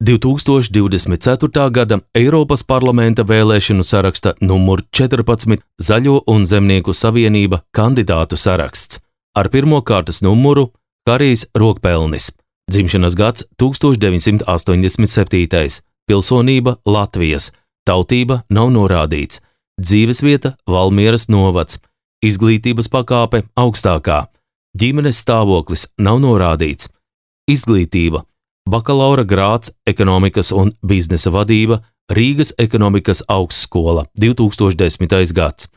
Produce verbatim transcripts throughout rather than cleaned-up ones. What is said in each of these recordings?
divtūkstoš divdesmit ceturtā gada Eiropas parlamenta vēlēšanu saraksta numur četrpadsmit Zaļo un Zemnieku savienība kandidātu saraksts. Ar pirmo kārtas numuru Harijs Rokpelnis. Dzimšanas gads tūkstoš deviņsimt astoņdesmit septītais. Pilsonība Latvijas. Tautība nav norādīts. Dzīvesvieta Valmieras novads. Izglītības pakāpe augstākā. Ģimenes stāvoklis nav norādīts. Izglītība bakalaura grāds ekonomikas un biznesa vadība Rīgas ekonomikas augstskola divtūkstoš desmitais gads.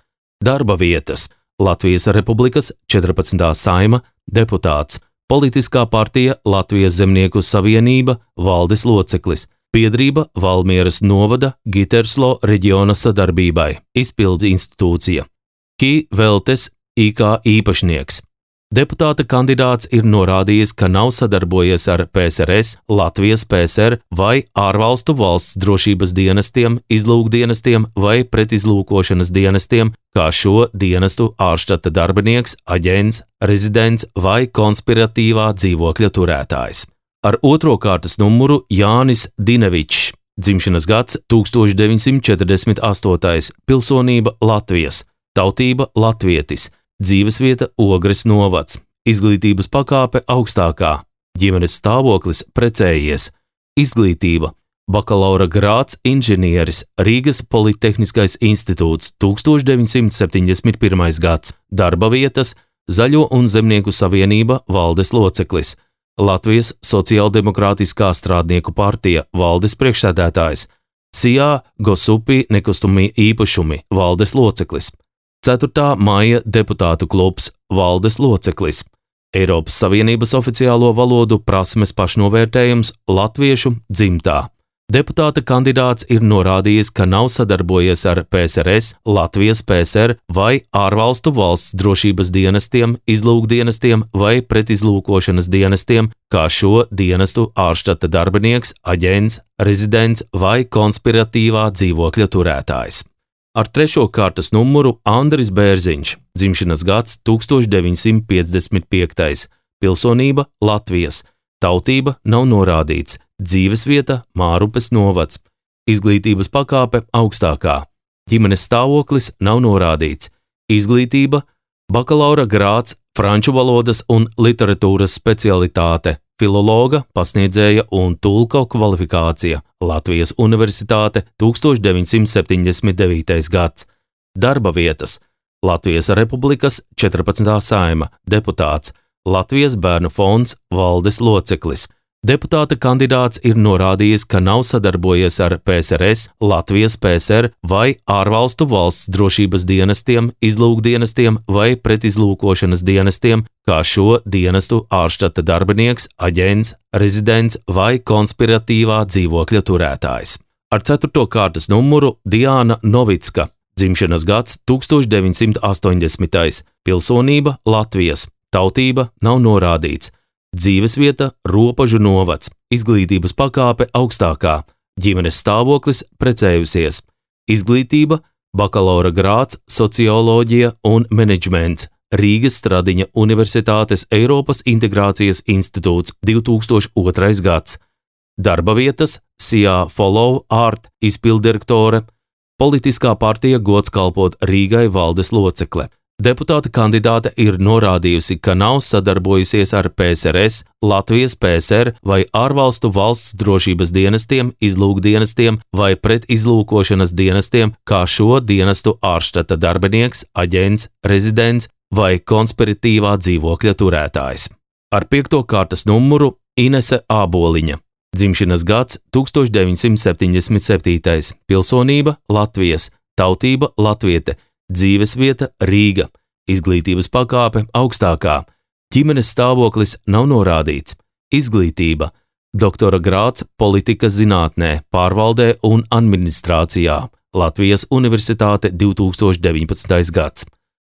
Darba vietas Latvijas Republikas četrpadsmitā Saeima deputāts. Politiskā partija Latvijas Zemnieku savienība valdes loceklis. Biedrība Valmieras novada Giterslo reģiona sadarbībai. Izpildu institūcija. Ki Veltes I K īpašnieks. Deputāta kandidāts ir norādījis, ka nav sadarbojies ar P S R S, Latvijas P S R vai ārvalstu valsts drošības dienestiem, izlūkdienestiem vai pretizlūkošanas dienestiem, kā šo dienestu ārštata darbinieks, aģents, rezidents vai konspiratīvā dzīvokļa turētājs. Ar otro kārtas numuru Jānis Dinevičs. Dzimšanas gads tūkstoš deviņsimt četrdesmit astotais. Pilsonība Latvijas. Tautība latvietis. Dzīvesvieta Ogres novads. Izglītības pakāpe augstākā. Ģimenes stāvoklis precējies. Izglītība bakalaura grāds inženieris Rīgas Politehniskais institūts tūkstoš deviņsimt septiņdesmit pirmais gads. Darba vietas Zaļo un Zemnieku savienība valdes loceklis. Latvijas Sociāldemokrātiskā strādnieku partija valdes priekšsēdētājs. Sijā Gosupi nekustamie īpašumi valdes loceklis. ceturtā Maija deputātu klubs valdes loceklis. Eiropas Savienības oficiālo valodu prasmes pašnovērtējums latviešu dzimtā. Deputāta kandidāts ir norādījis, ka nav sadarbojies ar P S R S, Latvijas P S R vai ārvalstu valsts drošības dienestiem, izlūkdienestiem vai pretizlūkošanas dienestiem, kā šo dienestu ārštata darbinieks, aģents, rezidents vai konspiratīvā dzīvokļa turētājs. Ar trešo kārtas numuru Andris Bērziņš. Dzimšanas gads tūkstoš deviņsimt piecdesmit piektais. Pilsonība Latvijas. Tautība nav norādīts. Dzīvesvieta Mārupes novads. Izglītības pakāpe augstākā. Ģimenes stāvoklis nav norādīts. Izglītība bakalaura grāds franču valodas un literatūras specialitāte. Filologa, pasniedzēja un tulka kvalifikācija. Latvijas Universitāte tūkstoš deviņsimt septiņdesmit devītais gads. Darba vietas Latvijas Republikas četrpadsmitā Saeima deputāts. Latvijas Bērnu fonds valdes loceklis. Deputāta kandidāts ir norādījis, ka nav sadarbojies ar P S R S, Latvijas P S R vai ārvalstu valsts drošības dienestiem, izlūkdienestiem vai pretizlūkošanas dienestiem, kā šo dienestu ārštata darbinieks, aģents, rezidents vai konspiratīvā dzīvokļa turētājs. Ar ceturto kārtas numuru Diāna Novicka. Dzimšanas gads tūkstoš deviņsimt astoņdesmitais. Pilsonība Latvijas. Tautība nav norādīts. Dzīvesvieta Ropažu novads. Izglītības pakāpe augstākā. Ģimenes stāvoklis precējusies. Izglītība bakalaura grāds socioloģija un menedžments. Rīgas Stradiņa Universitātes Eiropas integrācijas institūts divtūkstoš otrais gads. Darba vietas Sijā Follow Art izpildirektore. Politiskā partija gods kalpot Rīgai valdes locekle. Deputāta kandidāte ir norādījusi, ka nav sadarbojusies ar P S R S, Latvijas P S R vai ārvalstu valsts drošības dienestiem, izlūkdienestiem vai pretizlūkošanas dienestiem, kā šo dienestu ārštata darbinieks, aģents, rezidents vai konspiratīvā dzīvokļa turētājs. Ar piekto kārtas numuru Inese Āboliņa. Dzimšanas gads tūkstoš deviņsimt septiņdesmit septītais. Pilsonība Latvijas. Tautība latviete. Dzīvesvieta Rīga. Izglītības pakāpe augstākā. Ģimenes stāvoklis nav norādīts. Izglītība doktora grāds politikas zinātnē, pārvaldē un administrācijā. Latvijas Universitāte divtūkstoš deviņpadsmitais gads.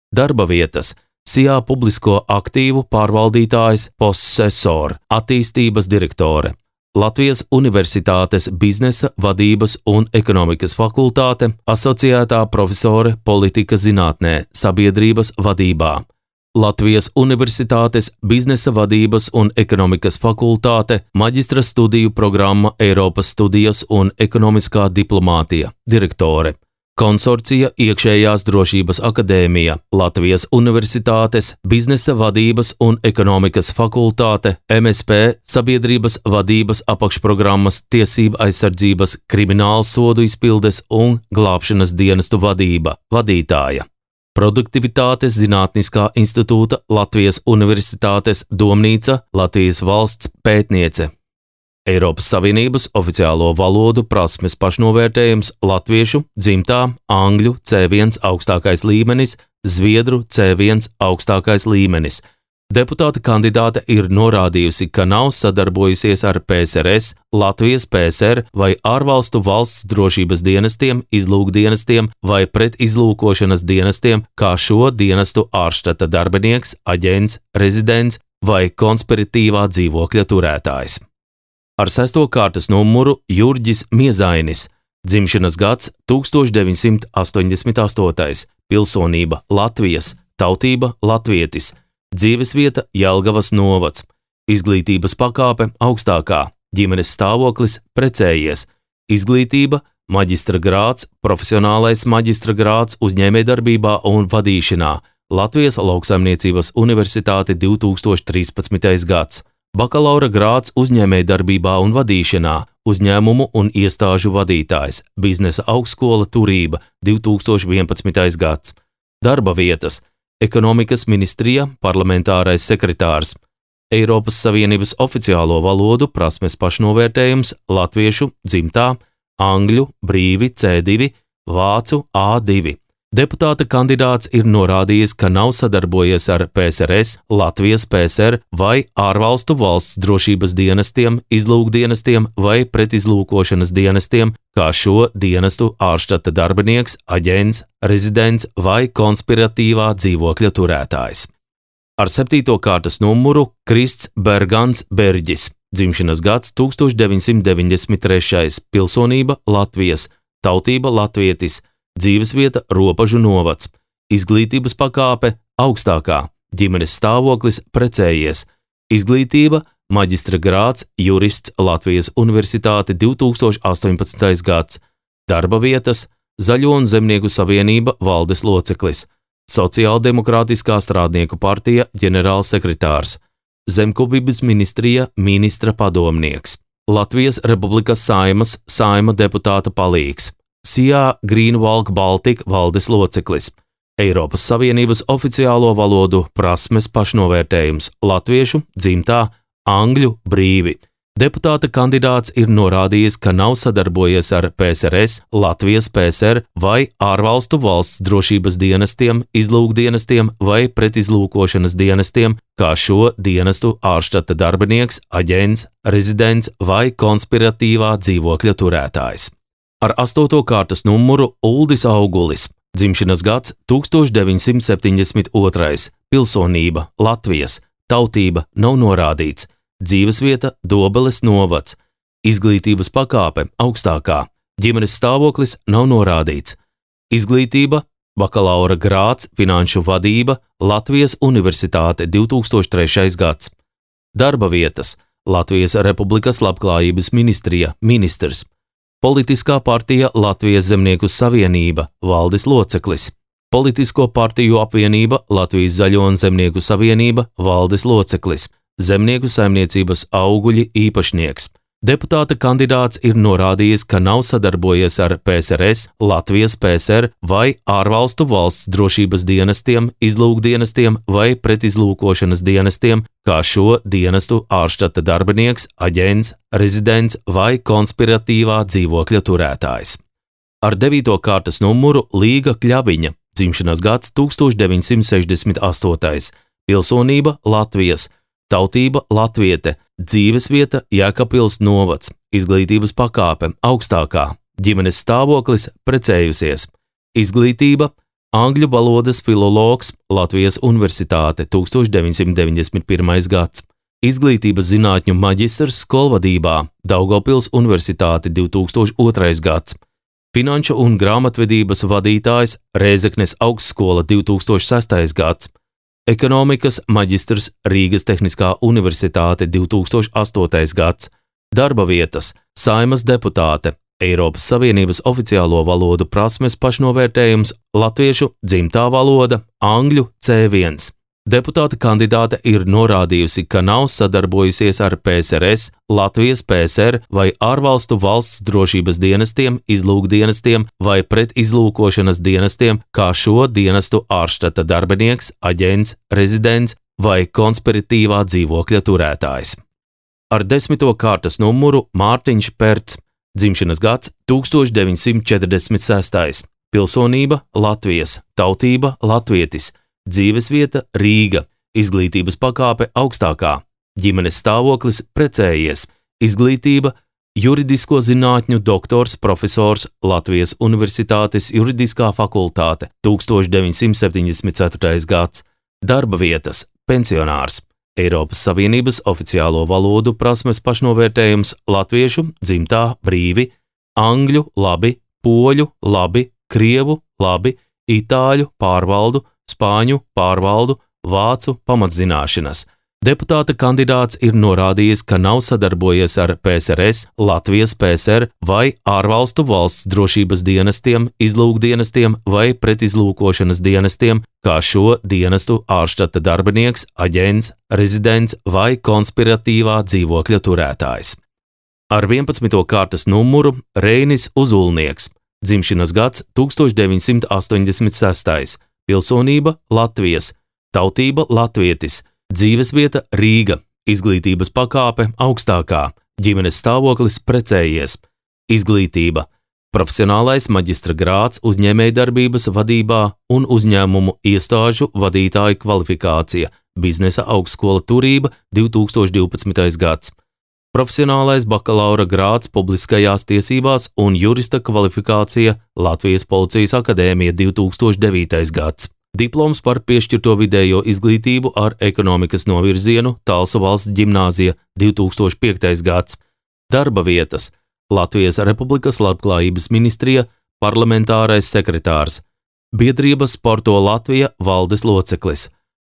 Darba vietas Sijā publisko aktīvu pārvaldītājs, posesor, attīstības direktore. Latvijas Universitātes biznesa, vadības un ekonomikas fakultāte, asociētā profesore politikas zinātnē, sabiedrības vadībā. Latvijas Universitātes Biznesa vadības un ekonomikas fakultāte, maģistra studiju programma Eiropas studijas un ekonomiskā diplomātija, direktore. Konsorcija Iekšējās drošības akadēmija, Latvijas Universitātes Biznesa vadības un ekonomikas fakultāte, M S P Sabiedrības vadības apakšprogrammas Tiesība aizsardzības, kriminālsodu izpildes un glābšanas dienestu vadība, vadītāja. Produktivitātes zinātniskā institūta, Latvijas Universitātes domnīca, Latvijas valsts pētniece. Eiropas Savienības oficiālo valodu prasmes pašnovērtējums latviešu, dzimtā, angļu C viens augstākais līmenis, zviedru C viens augstākais līmenis. Deputāta kandidāte ir norādījusi, ka nav sadarbojusies ar P S R S, Latvijas P S R vai ārvalstu valsts drošības dienestiem, izlūkdienestiem vai pretizlūkošanas dienestiem, kā šo dienestu ārštata darbinieks, aģents, rezidents vai konspiratīvā dzīvokļa turētājs. Ar sesto kārtas numuru Jurģis Miezainis, dzimšanas gads tūkstoš deviņsimt astoņdesmit astotais, pilsonība Latvijas, tautība latvietis, dzīvesvieta Jelgavas novads, izglītības pakāpe augstākā, ģimenes stāvoklis precējies, izglītība maģistra grāds, profesionālais maģistra grāds uzņēmējdarbībā un vadīšanā, Latvijas Lauksaimniecības Universitāte divtūkstoš trīspadsmitais gads. Bakalaura grāds uzņēmējdarbībā un vadīšanā, uzņēmumu un iestāžu vadītājs, biznesa augstskola turība divtūkstoš vienpadsmitais gads. Darba vietas, ekonomikas ministrija, parlamentārais sekretārs, Eiropas Savienības oficiālo valodu prasmes pašnovērtējums latviešu, dzimtā, angļu, brīvi C divi, vācu A divi. Deputāta kandidāts ir norādījis, ka nav sadarbojies ar P S R S, Latvijas P S R vai ārvalstu valsts drošības dienestiem, izlūkdienestiem vai pretizlūkošanas dienestiem, kā šo dienestu ārštata darbinieks, aģents, rezidents vai konspiratīvā dzīvokļa turētājs. Ar septīto kārtas numuru Krists Bergants Berģis, dzimšanas gads tūkstoš deviņsimt deviņdesmit trešais, pilsonība Latvijas, tautība latvietis, dzīvesvieta Ropažu novads, izglītības pakāpe augstākā, ģimenes stāvoklis precējies, izglītība maģistra grāds jurists Latvijas Universitāte divtūkstoš astoņpadsmitais gads, darba vietas Zaļo un Zemnieku savienība valdes loceklis, Sociāldemokrātiskā strādnieku partija ģenerālsekretārs, Zemkopības ministrija ministra padomnieks, Latvijas Republikas Saeimas Saeima deputāta palīgs, C I A Greenwalk Baltic valdes loceklis, Eiropas Savienības oficiālo valodu prasmes pašnovērtējums latviešu, dzimtā, angļu, brīvi. Deputāta kandidāts ir norādījis, ka nav sadarbojies ar P S R S, Latvijas P S R vai ārvalstu valsts drošības dienestiem, izlūkdienestiem vai pretizlūkošanas dienestiem, kā šo dienestu ārštata darbinieks, aģents, rezidents vai konspiratīvā dzīvokļa turētājs. Ar astoto kārtas numuru Uldis Augulis, dzimšanas gads tūkstoš deviņsimt septiņdesmit otrais, pilsonība Latvijas, tautība nav norādīts, dzīvesvieta Dobeles novads, izglītības pakāpe augstākā, ģimenes stāvoklis nav norādīts, izglītība bakalaura grāds finanšu vadība Latvijas Universitāte divtūkstoš trešais gads, darba vietas Latvijas Republikas labklājības ministrija ministrs, Politiskā partija Latvijas Zemnieku savienība, valdes loceklis, Politisko partiju apvienība Latvijas Zaļo un Zemnieku savienība, valdes loceklis, Zemnieku saimniecības auguļi īpašnieks. Deputāta kandidāts ir norādījis, ka nav sadarbojies ar P S R S, Latvijas P S R vai ārvalstu valsts drošības dienestiem, izlūkdienestiem vai pretizlūkošanas dienestiem, kā šo dienestu ārštata darbinieks, aģents, rezidents vai konspiratīvā dzīvokļa turētājs. Ar devīto kārtas numuru Līga Kļaviņa, dzimšanas gads tūkstoš deviņsimt sešdesmit astotais, pilsonība Latvijas, tautība latviete, dzīvesvieta Jēkabpils novads, izglītības pakāpe augstākā, ģimenes stāvoklis precējusies, izglītība angļu valodas filologs Latvijas Universitāte tūkstoš deviņsimt deviņdesmit pirmais gads, izglītības zinātņu maģistrs skolvadībā Daugavpils Universitāte divtūkstoš otrais gads, finanšu un grāmatvedības vadītājs Rēzeknes augstskola divtūkstoš sestais gads, Ekonomikas maģistrs Rīgas Tehniskā universitāte divs tūkstoši astotais gads, darba vietas, Saeimas deputāte, Eiropas Savienības oficiālo valodu prasmes pašnovērtējums, latviešu dzimtā valoda, angļu C viens. Deputāta kandidāte ir norādījusi, ka nav sadarbojusies ar P S R S, Latvijas P S R vai ārvalstu valsts drošības dienestiem, izlūkdienestiem vai pretizlūkošanas dienestiem, kā šo dienestu ārštata darbinieks, aģents, rezidents vai konspiratīvā dzīvokļa turētājs. Ar desmito kārtas numuru Mārtiņš Perts, dzimšanas gads tūkstoš deviņsimt četrdesmit sestais, pilsonība Latvijas, tautība latvietis, dzīvesvieta Rīga, izglītības pakāpe augstākā, ģimenes stāvoklis precējies, izglītība juridisko zinātņu doktors profesors Latvijas Universitātes juridiskā fakultāte tūkstoš deviņsimt septiņdesmit ceturtais gads, darba vietas pensionārs, Eiropas Savienības oficiālo valodu prasmes pašnovērtējums latviešu dzimtā brīvi, angļu labi, poļu labi, krievu labi, itāļu pārvaldu, spāņu pārvaldu, vācu pamatzināšanas. Deputāta kandidāts ir norādījis, ka nav sadarbojies ar P S R S, Latvijas P S R vai ārvalstu valsts drošības dienestiem, izlūkdienestiem vai pretizlūkošanas dienestiem, kā šo dienestu ārštata darbinieks, aģents, rezidents vai konspiratīvā dzīvokļa turētājs. Ar vienpadsmito kārtas numuru Reinis Uzulnieks, dzimšanas gads tūkstoš deviņsimt astoņdesmit sestais, pilsonība Latvijas, tautība latvietis, dzīvesvieta Rīga, izglītības pakāpe augstākā, ģimenes stāvoklis precējies, izglītība, profesionālais maģistra grāds uzņēmējdarbības vadībā un uzņēmumu iestāžu vadītāju kvalifikācija, biznesa augstskola Turība divs tūkstoši divpadsmitais gads, profesionālais bakalaura grāds publiskajās tiesībās un jurista kvalifikācija Latvijas Policijas akadēmija divs tūkstoši devītais gads, diploms par piešķirto vidējo izglītību ar ekonomikas novirzienu Talsu valsts ģimnāzija divs tūkstoši piektais gads, darba vietas Latvijas Republikas Labklājības ministrija, parlamentārais sekretārs, biedrība Sporto Latvija valdes loceklis,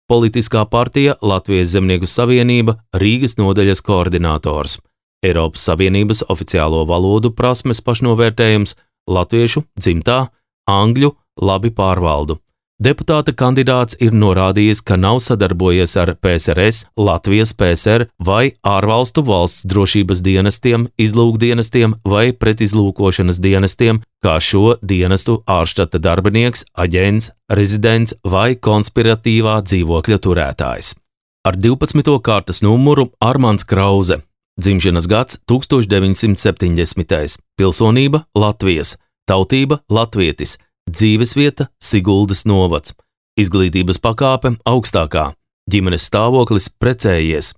politiskā partija Latvijas Zemnieku savienība Rīgas nodaļas koordinators, Eiropas Savienības oficiālo valodu prasmes pašnovērtējums latviešu dzimtā, angļu labi pārvaldu. Deputāta kandidāts ir norādījis, ka nav sadarbojies ar P S R S, Latvijas P S R vai ārvalstu valsts drošības dienestiem, izlūkdienestiem vai pretizlūkošanas dienestiem, kā šo dienestu ārštata darbinieks, aģents, rezidents vai konspiratīvā dzīvokļa turētājs. Ar divpadsmito kārtas numuru Armands Krauze, dzimšanas gads tūkstoš deviņsimt septiņdesmitais, pilsonība Latvijas, tautība latvietis, dzīvesvieta Siguldas novads, izglītības pakāpe augstākā, ģimenes stāvoklis precējies,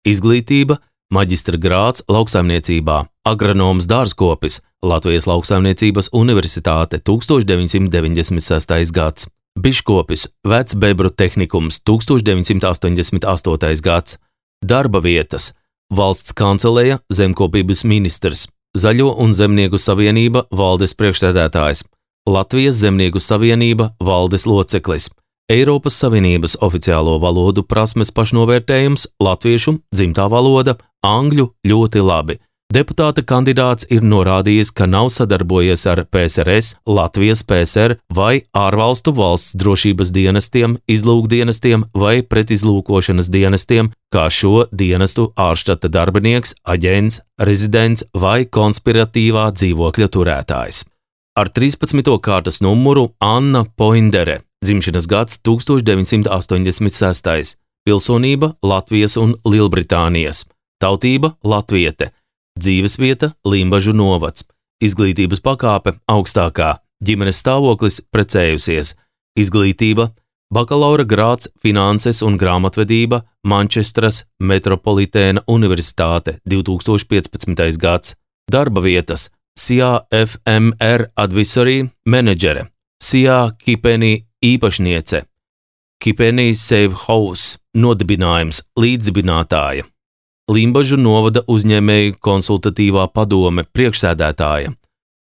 izglītība, maģistra grāds lauksaimniecībā, agronoms dārzkopis, Latvijas lauksaimniecības universitāte tūkstoš deviņsimt deviņdesmit sestais gads, biškopis, Vecbebru tehnikums tūkstoš deviņsimt astoņdesmit astotais gads, darba vietas, valsts kanceleja, zemkopības ministrs, Zaļo un zemnieku savienība valdes priekšsēdētājs, Latvijas Zemnieku savienība valdes loceklis, Eiropas Savienības oficiālo valodu prasmes pašnovērtējums latviešu dzimtā valoda, angļu ļoti labi. Deputāta kandidāts ir norādījis, ka nav sadarbojies ar P S R S, Latvijas P S R vai ārvalstu valsts drošības dienestiem, izlūkdienestiem vai pretizlūkošanas dienestiem, kā šo dienestu ārštata darbinieks, aģents, rezidents vai konspiratīvā dzīvokļa turētājs. Ar trīspadsmito kārtas numuru Anna Poindere, dzimšanas gads tūkstoš deviņsimt astoņdesmit sestais, pilsonība Latvijas un Lielbritānijas, tautība latviete, dzīvesvieta Limbažu novads, izglītības pakāpe augstākā, ģimenes stāvoklis precējusies, izglītība, bakalaura grāds finanses un grāmatvedība Mančestras Metropolitēna Universitāte divs tūkstoši piecpadsmitais gads, darba vietas S I A F M R Advisory menedžere, S I A Kipenī īpašniece, Kipenī Save House nodibinājums līdzdibinātāja, Limbažu novada uzņēmēju konsultatīvā padome priekšsēdētāja,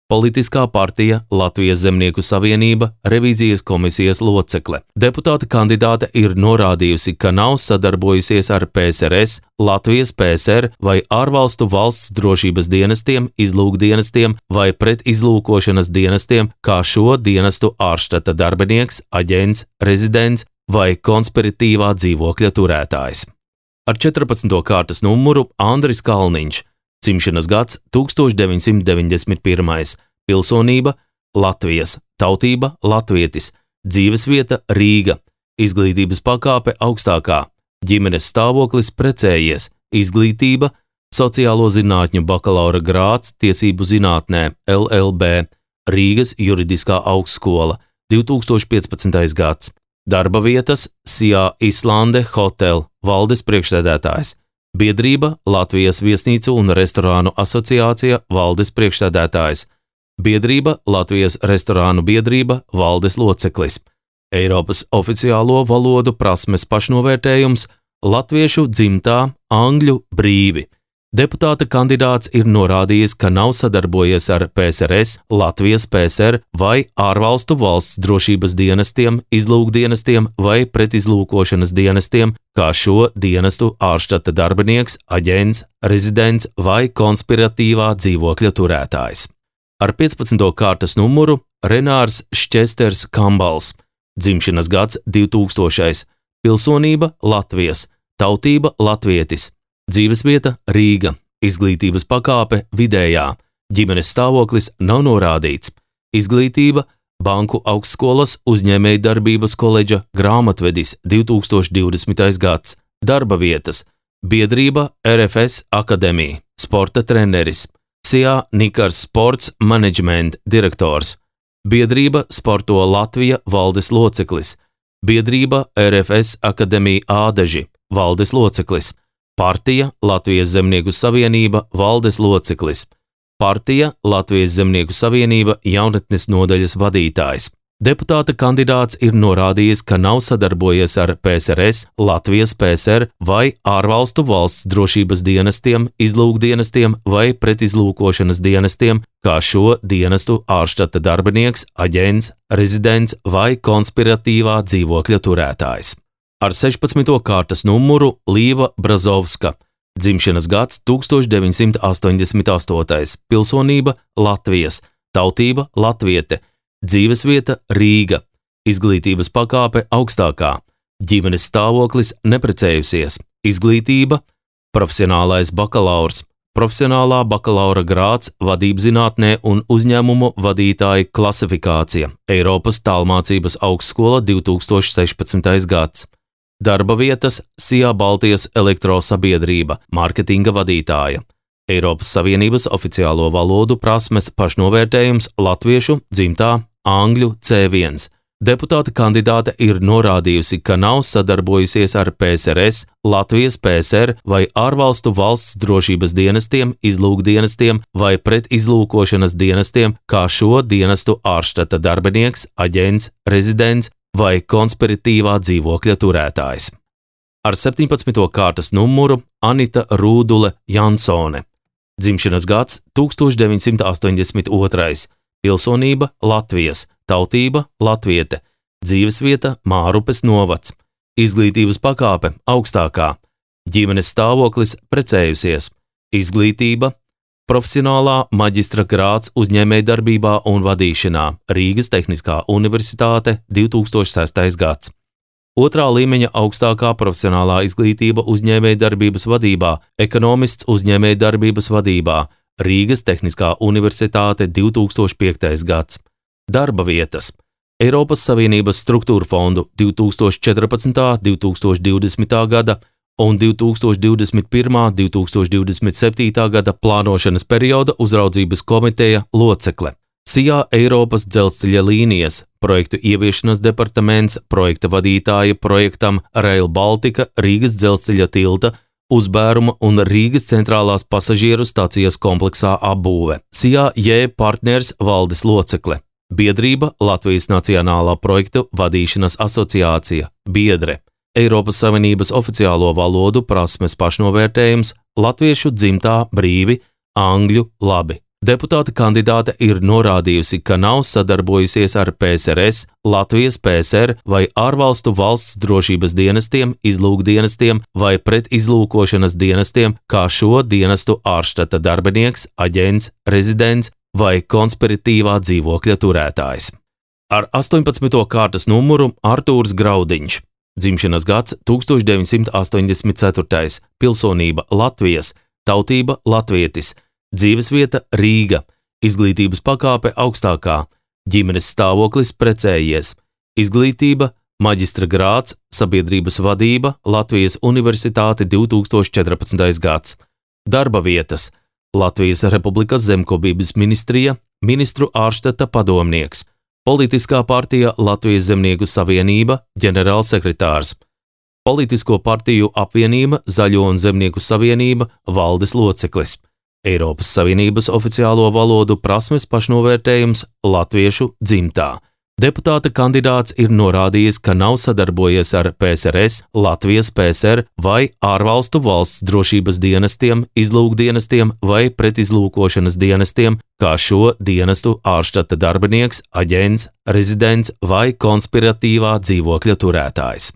Politiskā partija Latvijas Zemnieku savienība revīzijas komisijas locekle. Deputāta kandidāte ir norādījusi, ka nav sadarbojusies ar P S R S, Latvijas P S R vai ārvalstu valsts drošības dienestiem, izlūkdienestiem vai pretizlūkošanas dienestiem, kā šo dienestu ārštata darbinieks, aģents, rezidents vai konspiratīvā dzīvokļa turētājs. Ar četrpadsmito kārtas numuru Andris Kalniņš. Dzimšanas gads tūkstoš deviņsimt deviņdesmit pirmais. Pilsonība Latvijas, tautība latvietis, dzīvesvieta Rīga, izglītības pakāpe augstākā, ģimenes stāvoklis precējies, izglītība sociālo zinātņu bakalaura grāds tiesību zinātnē L L B, Rīgas juridiskā augstskola, divtūkstoš piecpadsmitais gads. Darba vietas S I A Islande Hotel, valdes priekšsēdētājs. Biedrība Latvijas viesnīcu un restorānu asociācija, valdes priekšsēdētājs. Biedrība Latvijas restorānu biedrība, valdes loceklis. Eiropas oficiālo valodu prasmes pašnovērtējums, latviešu dzimtā, angļu brīvi. Deputāta kandidāts ir norādījis, ka nav sadarbojies ar P S R S, Latvijas P S R vai ārvalstu valsts drošības dienestiem, izlūkdienestiem vai pretizlūkošanas dienestiem, kā šo dienestu ārštata darbinieks, aģents, rezidents vai konspiratīvā dzīvokļa turētājs. Ar piecpadsmito kārtas numuru Renārs Šķesters Kambals. Dzimšanas gads divtūkstošais. Pilsonība Latvijas, tautība latvietis. Dzīvesvieta Rīga, izglītības pakāpe vidējā, ģimenes stāvoklis nav norādīts, izglītība Banku augstskolas uzņēmējdarbības koledža grāmatvedis divtūkstoš divdesmitais gads, darba vietas, biedrība R F S akadēmija, sporta treneris, S I A Nikars Sports Management direktors, biedrība Sporto Latvija valdes loceklis, biedrība R F S akadēmija Ādaži valdes loceklis, partija Latvijas Zemnieku savienība valdes loceklis, partija Latvijas Zemnieku savienība jaunatnes nodaļas vadītājs. Deputāta kandidāts ir norādījis, ka nav sadarbojies ar P S R S, Latvijas P S R vai ārvalstu valsts drošības dienestiem, izlūkdienestiem vai pretizlūkošanas dienestiem, kā šo dienestu ārštata darbinieks, aģents, rezidents vai konspiratīvā dzīvokļa turētājs. Ar sešpadsmito kārtas numuru Līva Brazovska. Dzimšanas gads tūkstoš deviņsimt astoņdesmit astotais. Pilsonība Latvijas, tautība latviete, dzīvesvieta Rīga, izglītības pakāpe augstākā, ģimenes stāvoklis neprecējusies, izglītība profesionālais bakalaurs, profesionālā bakalaura grāds vadībzinātnē un uzņēmumu vadītāja klasifikācija, Eiropas tālmācības augstskola divtūkstoš sešpadsmitais gads. Darba vietas S I A Baltijas elektrosabiedrība, mārketinga vadītāja. Eiropas Savienības oficiālo valodu prasmes pašnovērtējums latviešu dzimtā, angļu C viens. Deputāta kandidāte ir norādījusi, ka nav sadarbojusies ar P S R S, Latvijas P S R vai ārvalstu valsts drošības dienestiem, izlūkdienestiem vai pretizlūkošanas dienestiem, kā šo dienestu ārštata darbinieks, aģents, rezidents vai konspiratīvā dzīvokļa turētājs. Ar septiņpadsmito kārtas numuru Anita Rūdule Jansone. Dzimšanas gads tūkstoš deviņsimt astoņdesmit otrais. Pilsonība Latvijas, tautība latviete, dzīvesvieta Mārupes novads, izglītības pakāpe augstākā, ģimenes stāvoklis precējusies, izglītība profesionālā maģistra grāds uzņēmējdarbībā un vadīšanā, Rīgas Tehniskā universitāte divtūkstoš sestais gads. Otrā līmeņa augstākā profesionālā izglītība uzņēmējdarbības vadībā, ekonomists uzņēmējdarbības vadībā, Rīgas Tehniskā universitāte divtūkstoš piektais gads. Darba vietas Eiropas Savienības struktūra fondu divtūkstoš četrpadsmitā līdz divtūkstoš divdesmitā gada un divtūkstoš divdesmit pirmā līdz divtūkstoš divdesmit septītā gada plānošanas perioda uzraudzības komiteja locekle. S I A Eiropas dzelzceļa līnijas, projektu ieviešanas departaments, projekta vadītāja projektam Rail Baltica, Rīgas dzelzceļa tilta, uzbēruma un Rīgas centrālās pasažieru stacijas kompleksā apbūve. S I A J partners valdes locekle. Biedrība Latvijas Nacionālā projektu vadīšanas asociācija, biedre. Eiropas Savienības oficiālo valodu prasmes pašnovērtējums, latviešu dzimtā brīvi, angļu labi. Deputāta kandidāte ir norādījusi, ka nav sadarbojusies ar P S R S, Latvijas P S R vai ārvalstu valsts drošības dienestiem, izlūkdienestiem vai pretizlūkošanas dienestiem, kā šo dienestu ārštata darbinieks, aģents, rezidents vai konspiratīvā dzīvokļa turētājs. Ar astoņpadsmito kārtas numuru Artūrs Graudiņš, dzimšanas gads tūkstoš deviņsimt astoņdesmit ceturtais, pilsonība Latvijas, tautība latvietis, dzīvesvieta Rīga, izglītības pakāpe augstākā, ģimenes stāvoklis precējies, izglītība maģistra grāds, sabiedrības vadība, Latvijas Universitāte divs tūkstoši četrpadsmitais gads, darba vietas Latvijas Republikas zemkopības ministrija, ministru ārštata padomnieks, politiskā partija Latvijas Zemnieku savienība, ģenerālsekretārs, politisko partiju apvienība Zaļo un Zemnieku savienība, valdes loceklis, Eiropas Savienības oficiālo valodu prasmes pašnovērtējums latviešu dzimtā. Deputāta kandidāts ir norādījis, ka nav sadarbojies ar P S R S, Latvijas P S R vai ārvalstu valsts drošības dienestiem, izlūkdienestiem vai pretizlūkošanas dienestiem, kā šo dienestu ārštata darbinieks, aģents, rezidents vai konspiratīvā dzīvokļa turētājs.